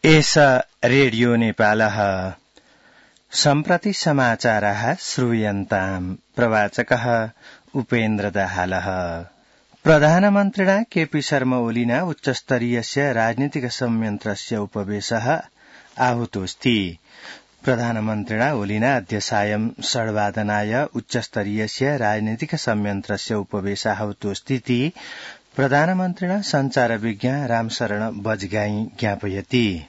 एष रेडियो नेपालः सम्प्रति समाचारः श्रूयन्ताम् प्रवाचकः उपेन्द्र दाहालः। प्रधानमन्त्रिणा केपी शर्मा ओलिना उच्चस्तरीयस्य राजनीतिक संयन्त्रस्य उपवेशः आहूतोऽस्ति। प्रधानमन्त्रिणा ओलिना अद्य सायं 6:30 उच्चस्तरीयस्य राजनीतिक संयन्त्रस्य उपवेशः आहूतोऽस्तीति प्रधानमन्त्रिणा संचारविज्ञ रामशरण बजगाई ज्ञापयति।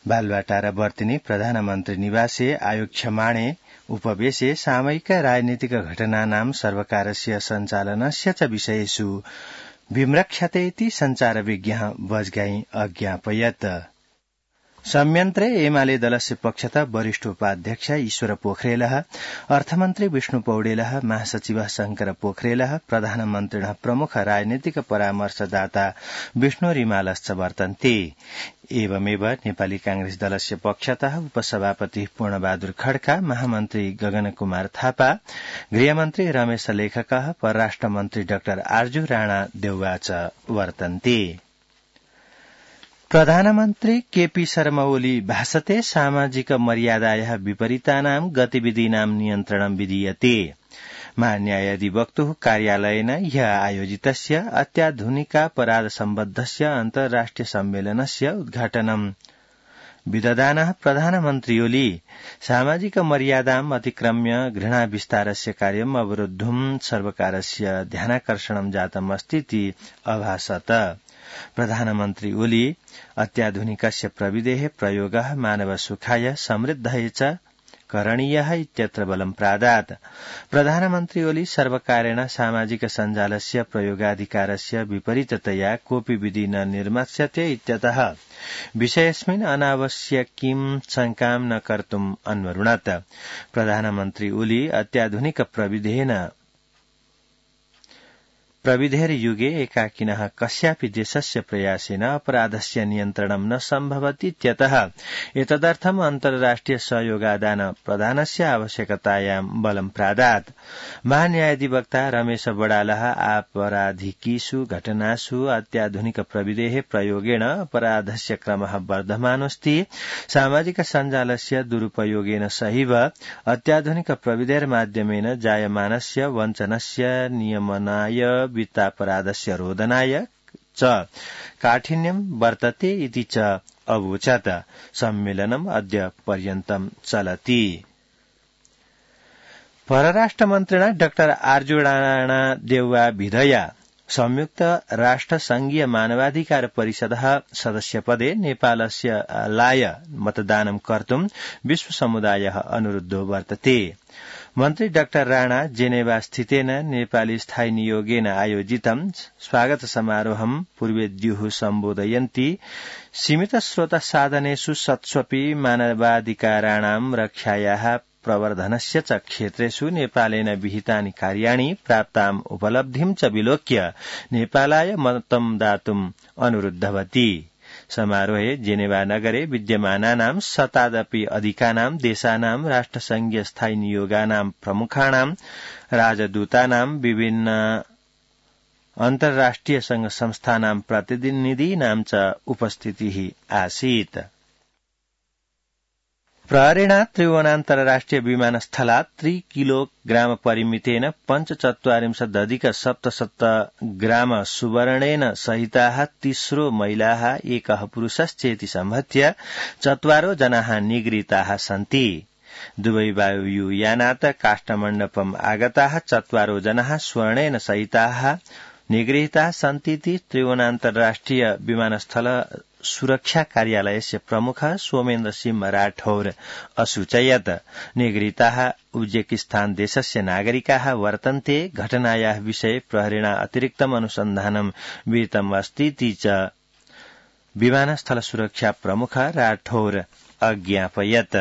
बालुवाटार वर्तिनी प्रधानमन्त्री निवासे आयोक्ष्यमाणे उपवेशे सामयिक राजनीतिक घटनानां सर्वकारस्य सञ्चालनस्य च विषयेषु विम्रक्ष्यते इति संचारविज्ञ बजगाई अज्ञापयत्। संयन्त्रे एमाले दलस्य पक्षतः वरिष्ठ उपाध्यक्ष ईश्वर पोखरेलः, अर्थमन्त्री विष्णु पौडेलः, महासचिव शंकर पोखरेलः, प्रधानमन्त्रिणः प्रमुख राजनीतिक परामर्शदाता विष्णु रिमालश्च वर्तन्ते। एवमेव नेपाली कांग्रेस दलस्य पक्षतः उपसभापति पूर्णबहादुर खड्का, महामन्त्री गगन कुमार थापा, गृहमन्त्री रमेश लेखकः, परराष्ट्र मन्त्री डाक्टर आर्जु राणा देउवा च वर्तन्ते। प्रधानमन्त्री केपी शर्मा ओली भाषते सामाजिक मर्यादायाः विपरीतानां गतिविधीनां नियन्त्रणं विधीयते। महान्यायाधिवक्तुः कार्यालयेन ह्यः आयोजितस्य अत्याधुनिकापराध सम्बद्धस्य अन्तर्राष्ट्रिय सम्मेलनस्य उद्घाटनं विदधानः प्रधानमन्त्री ओली सामाजिक मर्यादाम् अतिक्रम्य घृणा विस्तारस्य कार्यम् अवरोद्धुं सर्वकारस्य ध्यानाकर्षणं जातम् अस्तीति अभाषत। प्रधानमन्त्री ओली अत्याधुनिकस्य प्रविधेः प्रयोगः मानव सुखाय समृद्धये च करणीयः इत्यत्र बलं प्रादात्। प्रधानमन्त्री ओली सर्वकारेण सामाजिक सञ्जालस्य प्रयोगाधिकारस्य विपरीततया कोऽपि विधि न निर्मास्यते इत्यतः विषयेऽस्मिन् अनावश्यकीं शङ्कां न कर्तुम् अन्वरुणत्। प्रधानमन्त्री ओली अत्याधुनिक प्रविधेर्युगे एकाकिनः कस्यापि देशस्य प्रयासेन अपराधस्य नियन्त्रणं न सम्भवतीत्यतः एतदर्थम् अन्तर्राष्ट्रिय सहयोगादान प्रदानस्य आवश्यकतायां बलं प्रादात्। महान्यायाधिवक्ता रमेश बडालः आपराधिकीषु घटनासु अत्याधुनिक प्रविधेः प्रयोगेण अपराधस्य क्रमः वर्धमानोऽस्ति। सामाजिक सञ्जालस्य दुरुपयोगेन सहैव अत्याधुनिक प्रविधेर्माध्यमेन जायमानस्य वञ्चनस्य नियमनाय वित्तापराधस्य रोधनाय च काठिन्यं वर्तते इति च अवोचत्। सम्मेलनम् अद्य पर्यन्तं चलति। परराष्ट्रमन्त्रिणा डाक्टर आर्जु राणा देउवा विधया संयुक्त राष्ट्र संघीय मानवाधिकार परिषदः सदस्यपदे नेपालस्य लाय मतदानं कर्तुं विश्व समुदायः अनुरुद्धो वर्तते। मन्त्री डाक्टर राणा जेनेवा स्थितेन नेपाली स्थायी नियोगेन आयोजितं स्वागत समारोहं पूर्वेद्युः सम्बोधयन्ति सीमित स्रोत साधनेषु सत्स्वपि मानवाधिकाराणां रक्षायाः प्रवर्धनस्य च क्षेत्रेषु नेपालेन विहितानि कार्याणि प्राप्ताम् उपलब्धिं च विलोक्य नेपालाय मतं दातुम् अनुरुद्धवती। समारोहे जेनेवा नगरे विद्यमानानां शतादपि अधिकानां देशानां राष्ट्रसंघीय स्थायी नियोगानां प्रमुखाणां राजदूतानां विभिन्न अन्तर्राष्ट्रिय संघ संस्थानां प्रतिनिधीनां च उपस्थितिः आसीत्। प्रहरेण त्रिभुवनान्तर्राष्ट्रिय विमानस्थलात् 3 किलोग्राम परिमितेन 45.7 ग्राम सुवर्णेन सहिताः 30 महिलाः एकः पुरुषश्चेति सम्भत्य 4 जनाः निगृहीताः सन्ति। दुबई वायुयानात् काष्ठमण्डपम् आगताः 4 जनाः स्वर्णेन सहिताः निगृहीताः सन्तीति त्रिभुवनान्तर्राष्ट्रिय विमानस्थल सुरक्षा कार्यालयस्य प्रमुख सोमेन्द्र सिंह राठौर असूचयत्। निगृहीताः उज्बेकिस्तान देशस्य नागरिकाः वर्तन्ते। घटनायाः विषये प्रहरेण अतिरिक्तम् अनुसन्धानं विहितम् अस्तीति च विमानस्थल सुरक्षा प्रमुख राठौर अज्ञापयत्।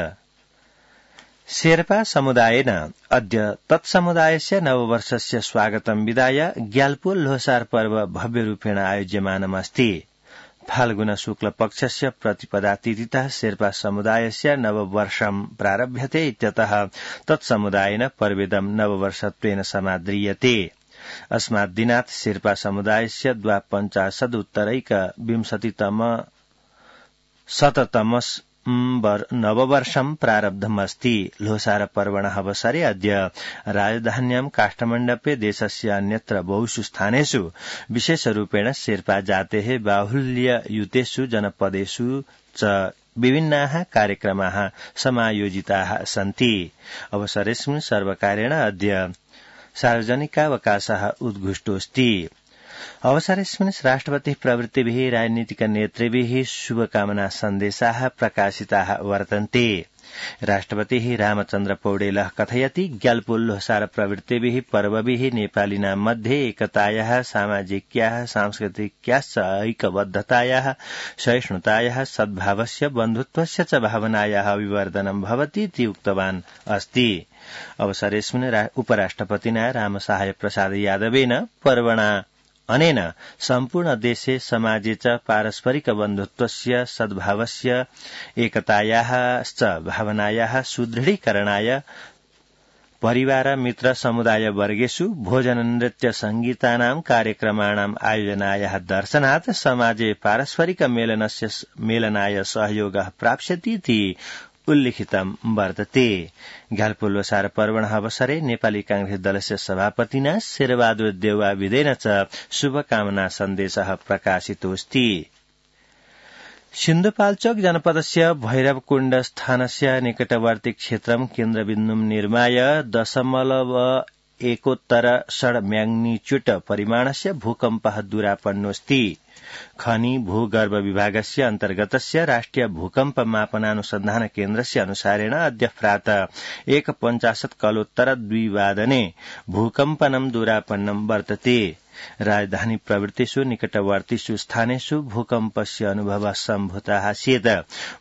शेर्पा समुदायेन अद्य तत्समुदायस्य नववर्षस्य स्वागतं विधाय ग्याल्पो लोसार पर्व भव्यरूपेण आयोज्यमानमस्ति। फाल्गुन शुक्ल पक्षस्य प्रतिपदा तिथितः शेर्पा समुदायस्य नववर्षं प्रारभ्यते इत्यतः तत्समुदायेन पर्वेदं नववर्षत्वेन समाद्रियते। अस्मात् दिनात् शेर्पा समुदायस्य 52 उत्तरैक 20तम शततमस् नववर्षं प्रारब्धमस्ति। लोसार पर्वणः अवसरे अद्य राजधान्यां काष्ठमण्डपे देशस्य अन्यत्र बहुषु स्थानेषु विशेषरूपेण शेर्पा जातेः बाहुल्ययुतेषु जनपदेषु च विभिन्नाः कार्यक्रमाः समायोजिताः सन्ति। अवसरेऽस्मिन् सर्वकारेण अद्य सार्वजनिकावकाशः उद्घुष्टोऽस्ति। अवसरेऽस्मिन् राष्ट्रपतिः प्रभृतिभिः राजनीतिकनेतृभिः शुभकामना सन्देशाः प्रकाशिताः वर्तन्ते। राष्ट्रपतिः रामचन्द्र पौडेलः कथयति ग्याल्पो-लोसार प्रभृतिभिः पर्वभिः नेपालिनां मध्ये एकतायाः, सामाजिक्याः, सांस्कृतिक्याश्च ऐक्यबद्धतायाः, सहिष्णुतायाः, सद्भावस्य, बन्धुत्वस्य च भावनायाः अभिवर्धनं भवति इति उक्तवान् अस्ति। अवसरेऽस्मिन् उपराष्ट्रपतिना रामसहाय प्रसाद यादवेन पर्वणा अनेन सम्पूर्ण देशे समाजे च पारस्परिक बन्धुत्वस्य, सद्भावस्य, एकतायाः च भावनायाः सुदृढीकरणाय परिवार मित्र समुदाय वर्गेषु भोजन नृत्य संगीतानां कार्यक्रमाणां आयोजनायाः दर्शनात् समाजे पारस्परिक मेलनाय सहयोगः प्राप्स्यति इति उल्लिखितं वर्तते। ग्याल्पो-लोसार पर्वणः अवसरे नेपाली कांग्रेस दलस्य सभापतिना शेरबहादुर देउवा विदेन च शुभकामना सन्देशः प्रकाशितोऽस्ति। सिन्धुपाल्चोक जनपदस्य भैरवकुण्ड स्थानस्य निकटवर्ती क्षेत्रं केन्द्रबिन्दुं निर्माय 0.1 म्याग्निच्यूड परिमाणस्य भूकम्पः दूरापन्नोऽस्ति। खनि भूगर्भ विभागस्य अन्तर्गतस्य राष्ट्रिय भूकम्प मापनानुसन्धान केन्द्रस्य अनुसारेण अद्य प्रातः 1.50 कलोत्तर 2 वादने भूकम्पनं दूरापन्नं वर्तते। राजधानी प्रवृत्तिषु निकटवर्तीषु स्थानेषु भूकम्पस्य अनुभवः सम्भूतः चेत्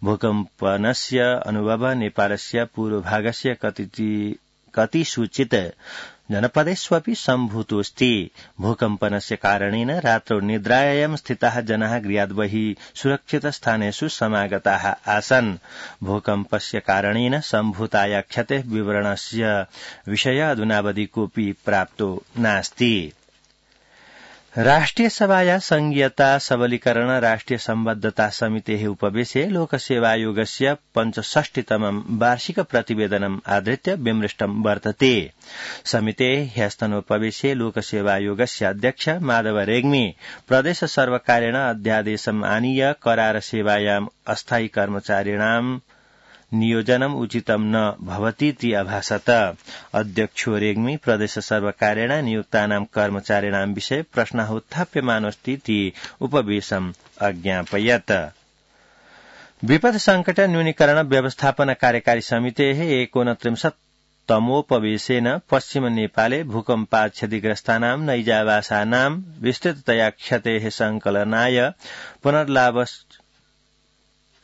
भूकम्पनस्य अनुभवः नेपालस्य पूर्वभागस्य कतिसूचित जनपदेष्वपि सम्भूतोऽस्ति। भूकम्पनस्य कारणेन रात्रौ निद्रायां स्थिताः जनाः गृहात् बहिः सुरक्षित स्थानेषु समागताः आसन्। भूकम्पस्य कारणेन सम्भूताया क्षतेः विवरणस्य विषय अधुनावधि कोऽपि प्राप्तो नास्ति। राष्ट्रिय सभाया संघीयता सबलीकरण राष्ट्रिय सम्बद्धता समितेः उपवेशे लोकसेवायोगस्य 65तमं वार्षिक प्रतिवेदनम् आधृत्य विमृष्टं वर्तते। समितेः ह्यस्तनोपवेशे लोकसेवायोगस्य अध्यक्ष माधव रेग्मी प्रदेश सर्वकारेण अध्यादेशम् आनीय करार सेवायाम् अस्थायी कर्मचारिणां नियोजनम् उचितं न भवतीति अभाषत। अध्यक्षो रेग्मी प्रदेश सर्वकारेण नियुक्तानां कर्मचारिणां विषये प्रश्नः उत्थाप्यमानोऽस्तीति उपवेशम् अज्ञापयत्। विपद संकट न्यूनीकरण व्यवस्थापन कार्यकारी समितेः 29तमोपवेशेन पश्चिम नेपाले भूकम्पात् क्षतिग्रस्तानां नैजावासानां विस्तृततया क्षतेः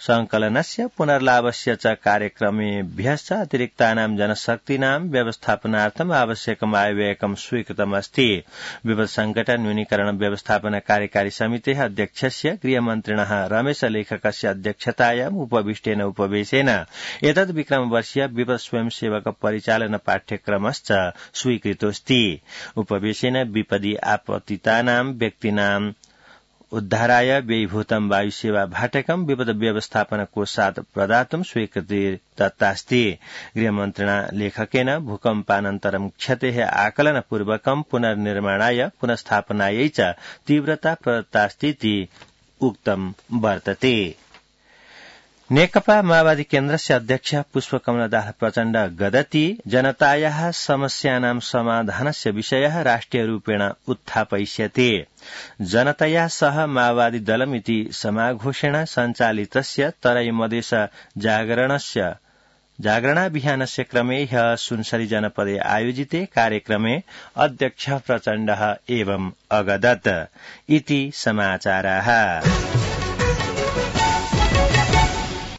संकलनस्य पुनर्लाभस्य च कार्यक्रमेभ्यश्च अतिरिक्तानां जनशक्तीनां व्यवस्थापनार्थम् आवश्यकम् आयव्ययकं स्वीकृतमस्ति। विपद संकट न्यूनीकरण व्यवस्थापन कार्यकारी समितेः अध्यक्षस्य गृहमन्त्रिणः रमेश लेखकस्य अध्यक्षतायाम् उपविष्टेन उपवेशेन एतद् विक्रमवर्षीय विपद स्वयंसेवक परिचालन पाठ्यक्रमश्च स्वीकृतोऽस्ति। उपवेशेन विपदि आपतितानां व्यक्तीनां उद्धाराय व्ययीभूतं वायुसेवा भाटकं विपद व्यवस्थापन कोषात् प्रदातुं स्वीकृति दत्तास्ति। गृहमन्त्रिणा लेखकेन भूकम्पानन्तरं क्षतेः आकलनपूर्वकं पुनर्निर्माणाय पुनस्थापनायै च तीव्रता प्रदत्तास्तीति उक्तं वर्तते। नेकपा माओवादी केन्द्रस्य अध्यक्ष पुष्पकमल दाहाल प्रचण्ड गदति जनतायाः समस्यानां समाधानस्य विषयः राष्ट्रियरूपेण उत्थापयिष्यते। जनतया सह माओवादी दलमिति समाघोषेण सञ्चालितस्य तराई मधेस जागरणाभियानस्य क्रमे ह्यः सुनसरी जनपदे आयोजिते कार्यक्रमे अध्यक्ष प्रचण्डः एवं अगदत् इति समाचाराः।